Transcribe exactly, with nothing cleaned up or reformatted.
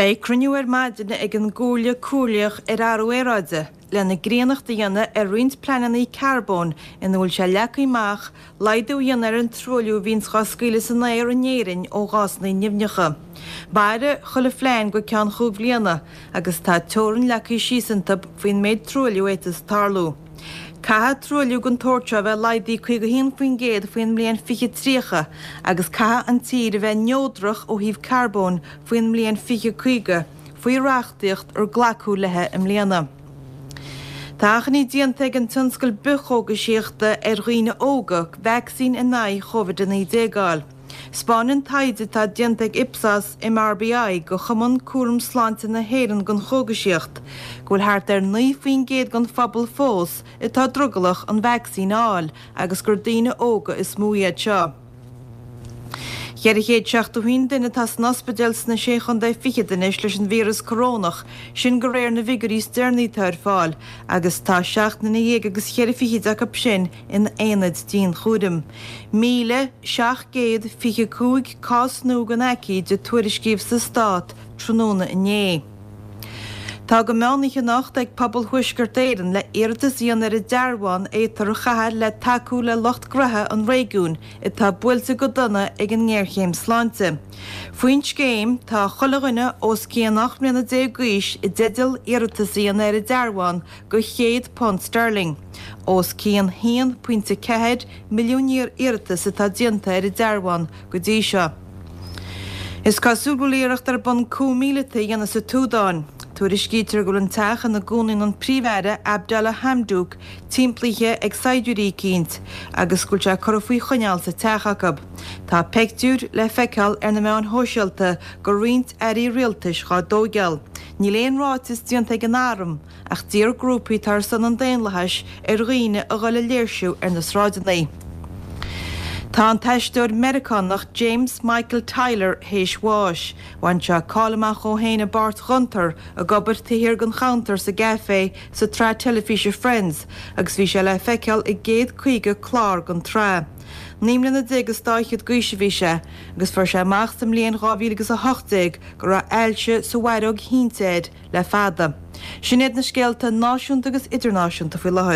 Beidh cruinniú ar maidin ag an gComhairle Comhairleach ar Athrú Aeráide lena gcríonnacht a dhéanamh ar roinnt pleananna carbóin ina bhfuil sé leagtha amach laghdú a dhéanamh ar an truailliú a bhíonns á scaoileadh san aer in Éirinn ó ghásanna nimhneacha. Mairfidh chuile phlean go ceann chúig bhliana agus tá teorainn leagtha síos iontu faoin méid truailliú a fhéadfas tarlú. Caithfidh truailliú den tsórt seo a bheith laghdaithe caoga haon faoin gcéad faoin mbliain fiche tríocha agus caithfidh an tír a bheith neodrach ó thaobh carbóin faoin mbliain fiche caoga, faoi reachtaíocht ar glacadh léi i mbliana. Tá achainí déanta ag an tionscal bithchógaisíochta ar dhaoine óga vacsaín in aghaidh Covid a naoi déag a fháil. 'Spáineann taighde atá déanta ag Ipsos MRBI do Chumann Cúram Sláinte na hÉireann don Chógaisíocht go bhfuil thart ar naoi faoin gcéad den phobal fós atá drogallach an vacsaín a fháil agus gur daoine óga is mó iad seo. Ceithre chéad seachtó haon duine atá san ospidéal sna Sé Chontae Fichead anois leis an víreas corónach, sin de réir na bhfigiúirí is deireanaí atá ar fáil, agus tá seacht nduine dhéag agus cheithre fichid acu sin in aonaid dianchúraim. Míle seacht gcéad fiche cúig cás nua den aicíd a tuairiscíodh sa stát tráthnóna inné. Tá go meán-oíche anocht ag pobal Thuaisceart Éireann le iarratas a dhéanamh ar an dearbhán a fhéadfar a chaitheamh le tacú le lucht gnoithe an réigiúin atá buailte go dona ag an ngéarchéim sláinte. Faoin scéim, tá chuile dhuine os cionn ocht mbliana déag d'aois i dteideal iarratas a dhéanamh ar an dearbhán go céad punt sterling. Os cionn haon pointe ceathair milliún iarratas atá déanta ar an dearbhán go dtí seo. Is cosúil go bhfuil iarracht ar bun coup míleata a dhéanamh sa tSúdáin. Tuairiscítear go bhfuil an teach ina gcónaíonn an Príomh-Aire Abdalla Hamdok timpeallaithe ag saighdiúirí eicínt agus go bhfuil sé curtha faoi choinneáil sa teach acu. Tá peictiúir le feiceáil ar na meáin shóisialta de roinnt airí rialtais dhá dtóigeáil. Níl aon ráiteas déanta ag an arm ach d'iarr grúpaí atá ar son an daonlathais ar dhaoine a dhul a léirsiú ar na sráideanna. Tá an t-aisteoir Meiriceánach James Michael Tyler théis bháis. Bhain sé cáil amach dhó féin i bpáirt Gunther ag obair taobh thiar den chuntar sa gcaifé sa tsraith teilifíse Friends agus bhí sé le feiceáil i gcéad caoga clár den tsraith. Naoi mbliana déag is dá fhichead d'aois a bhí sé agus fuair sé amach sa mbliain dhá mhíle agus a hocht déag go raibh ailse sa bhfaireog thinte air le fada. Sin iad na scéalta náisiúnta agus idirnáisiúnta faoi láthair.